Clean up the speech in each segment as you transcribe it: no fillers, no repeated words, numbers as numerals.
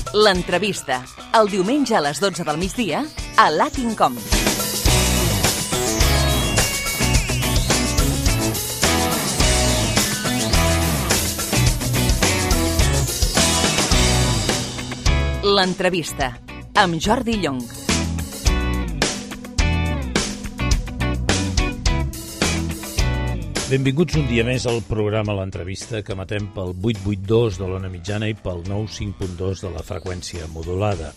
L'entrevista, el diumenge a les 12 del migdia a Latin.com. L'entrevista, amb Jordi Llong. Benvinguts un dia més al programa L'Entrevista, que emetem pel 882 de l'ona mitjana i pel 95.2 de la freqüència modulada.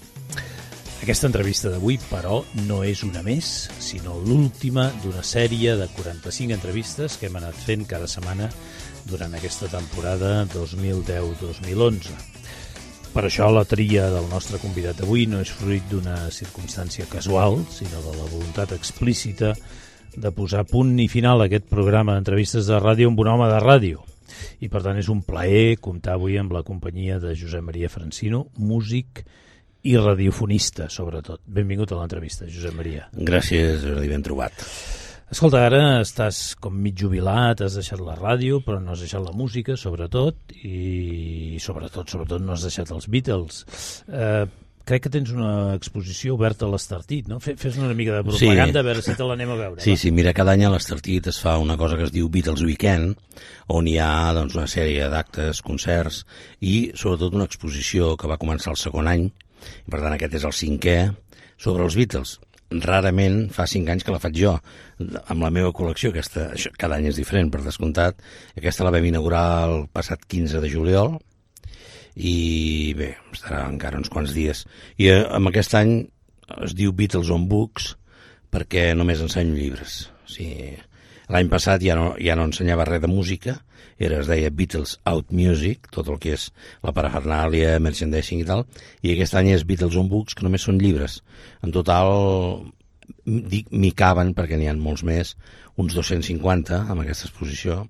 Aquesta entrevista d'avui, però, no és una més, sinó l'última d'una sèrie de 45 entrevistes que hem anat fent cada setmana durant aquesta temporada 2010-2011. Per això la tria del nostre convidat d'avui no és fruit d'una circumstància casual, sinó de la voluntat explícita de posar punt i final a aquest programa d'entrevistes de ràdio amb un home de ràdio. I per tant és un plaer comptar avui amb la companyia de Josep Maria Francino, músic i radiofonista, sobretot. Benvingut a l'entrevista, Josep Maria. Gràcies, Jordi, ben trobat. Escolta, ara estàs com mig jubilat, has deixat la ràdio, però no has deixat la música, sobretot, i sobretot no has deixat els Beatles. Crec que tens una exposició oberta a l'Estartit, no? Fes una mica de propaganda, a veure si te l'anem a veure. Sí, mira, cada any a l'Estartit es fa una cosa que es diu Beatles Weekend, on hi ha doncs, una sèrie d'actes, concerts i sobretot una exposició que va començar el segon any, i per tant aquest és el cinquè, sobre els Beatles. Rarament fa 5 anys que la faig jo, amb la meva col·lecció, aquesta, cada any és diferent, per descomptat. Aquesta la vam inaugurar el passat 15 de juliol, i bé, estarà encara uns quants dies. I amb aquest any es diu Beatles on Books perquè només ensenyo llibres. O sigui, l'any passat ja no ensenyava res de música, es deia Beatles Out Music, tot el que és la parafernàlia, merchandising i tal, i aquest any és Beatles on Books, que només són llibres. En total, m'hi caben, perquè n'hi ha molts més, uns 250 amb aquesta exposició.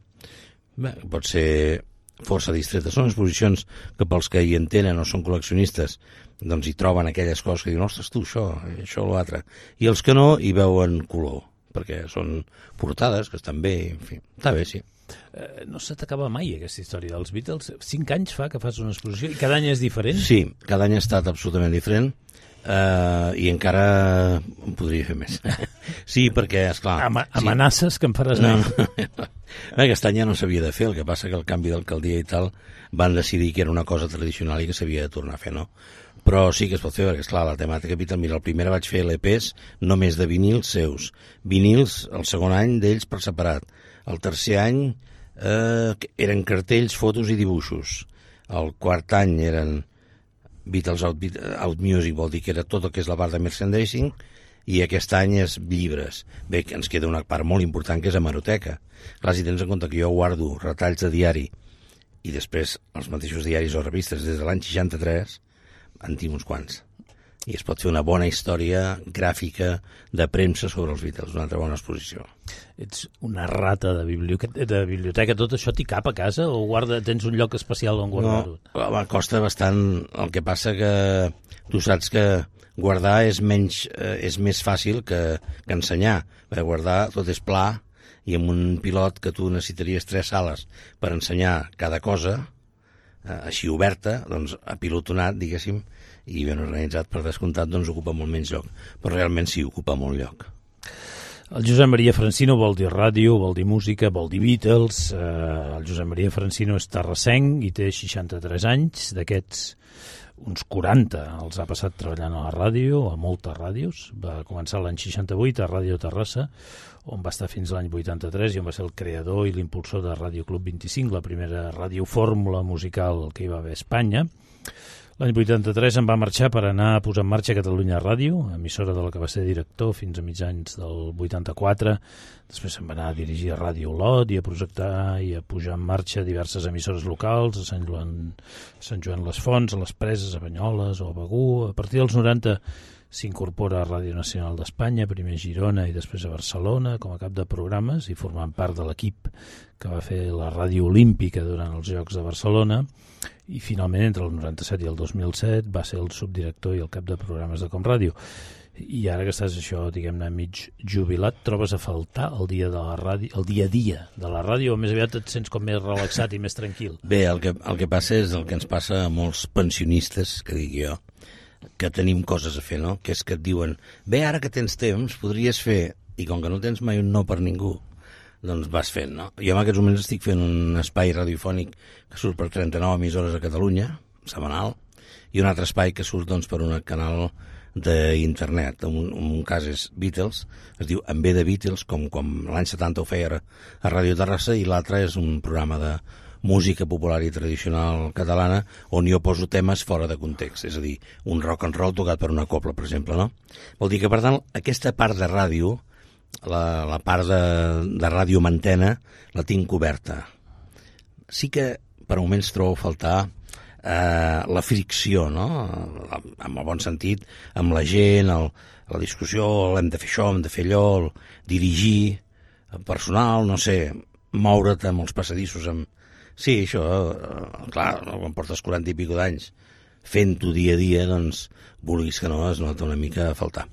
Bé, pot ser força distreta. Són exposicions que pels que hi entenen o són col·leccionistes doncs hi troben aquelles coses que diuen, ostres, tu, això o l'altre. I els que no hi veuen color, perquè són portades que estan bé, en fi, està bé, sí. No se t'acaba mai aquesta història dels Beatles? 5 anys fa que fas una exposició i cada any és diferent? Sí, cada any ha estat absolutament diferent. I encara en podria fer més. Sí, perquè, esclar... Amenaces que em faràs més. Aquest any ja no s'havia de fer, el que passa que el canvi d'alcaldia i tal van decidir que era una cosa tradicional i que s'havia de tornar a fer, no? Però sí que es pot fer, perquè, esclar, la temàtica Beatles, mira, el primer vaig fer l'EPs només de vinils seus. Vinils, el segon any d'ells per separat. El tercer any eren cartells, fotos i dibuixos. El quart any eren Beatles Out Music, vol dir que era tot el que és la part de merchandising, i aquest any és llibres. Bé, que ens queda una part molt important, que és hemeroteca. Clar, si tens en compte que jo guardo retalls de diari i després els mateixos diaris o revistes des de l'any 63, en tinc uns quants. I es pot fer una bona història gràfica de premsa sobre els Beatles, una altra bona exposició. Ets una rata de biblioteca. Tot això t'hi cap a casa o tens un lloc especial on guardar-ho? No, costa bastant. El que passa que tu saps que guardar és més fàcil que ensenyar. Perquè guardar tot és pla i amb un pilot que tu necessitaries 3 sales per ensenyar cada cosa, així oberta, doncs apilotonat, diguéssim, i ben organitzat, per descomptat, doncs ocupa molt menys lloc. Però realment sí, ocupa molt lloc. El Josep Maria Francino vol dir ràdio, vol dir música, vol dir Beatles. El Josep Maria Francino és terrassenc i té 63 anys. D'aquests, uns 40 els ha passat treballant a la ràdio, a moltes ràdios. Va començar l'any 68 a Ràdio Terrassa, on va estar fins l'any 83 i on va ser el creador i l'impulsor de Ràdio Club 25, la primera radiofórmula musical que hi va haver a Espanya. L'any 83 em va marxar per anar a posar en marxa Catalunya Ràdio, emissora de la que va ser director fins a mitjans del 84. Després se'n va anar a dirigir a Ràdio Olot i a projectar i a posar en marxa diverses emissores locals, a Sant Joan les Fonts, a les Preses, a Banyoles o a Begur. A partir dels 90 s'incorpora a Ràdio Nacional d'Espanya, primer a Girona i després a Barcelona, com a cap de programes i formant part de l'equip que va fer la Ràdio Olímpica durant els Jocs de Barcelona. I finalment, entre el 97 i el 2007, va ser el subdirector i el cap de programes de Com Ràdio. I ara que estàs això, diguem-ne, mig jubilat, trobes a faltar el dia de la ràdio, el dia a dia de la ràdio, o més aviat et sents com més relaxat i més tranquil? Bé, el que passa és el que ens passa a molts pensionistes, que dic jo, que tenim coses a fer, no? Que és que et diuen, bé, ara que tens temps, podries fer, i com que no tens mai un no per ningú, doncs vas fent, no? Jo en aquests moments estic fent un espai radiofònic que surt per 39 emissores a Catalunya, setmanal, i un altre espai que surt doncs, per un canal d'internet. Un cas és Beatles, es diu En ve de Beatles, com l'any 70 ho feia a Ràdio Terrassa, i l'altre és un programa de música popular i tradicional catalana on jo poso temes fora de context, és a dir, un rock and roll tocat per una cobla, per exemple, no? Vol dir que, per tant, aquesta part de ràdio, la part de ràdio mantena, la tinc coberta. Sí que per moments trobo a faltar la fricció, no? En el bon sentit, amb la gent, la discussió, hem de fer això, hem de fer allò, dirigir, personal, no sé, moure't amb els passadissos. Sí, això, clar, quan portes 40 i pico d'anys fent-ho dia a dia, doncs, vulguis que no, es nota una mica a faltar.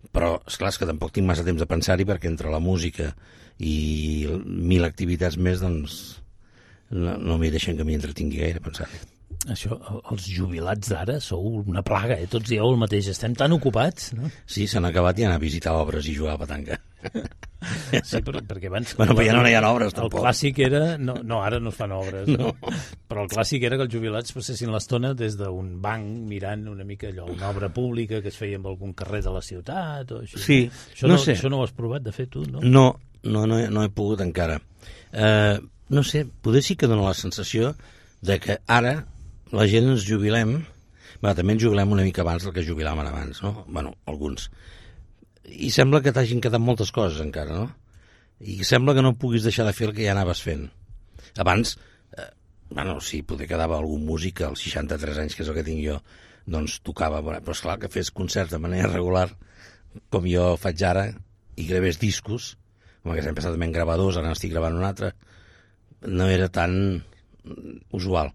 Però, esclar, és que tampoc tinc massa temps de pensar-hi, perquè entre la música i 1000 activitats més, doncs, no m'hi deixen que m'hi entretingui gaire a pensar-hi. Això, els jubilats d'ara sou una plaga, tots dieu el mateix, estem tan ocupats, no? Sí, s'han acabat i anar a visitar obres i jugar a petanca. Sí, perquè abans... Bueno, però ja no hi ha obres, tampoc. El clàssic era... No, ara no es fan obres, no. Però el clàssic era que els jubilats passessin l'estona des d'un banc mirant una mica allò, una obra pública que es feia en algun carrer de la ciutat o així. Sí, això no sé. Això no ho has provat de fer tu, no? No he pogut encara. No sé, potser sí que dona la sensació de que ara la gent ens jubilem, també ens jubilem una mica abans del que jubilàvem abans, no? Bueno, alguns. I sembla que t'hagin quedat moltes coses encara, no? I sembla que no puguis deixar de fer el que ja anaves fent. Abans, sí, poder quedava algun músic als 63 anys, que és el que tinc jo, doncs tocava, però esclar, que fes concerts de manera regular, com jo faig ara, i gravés discos, com que sempre he estat en gravadors, ara n'estic gravant un altre, no era tan usual.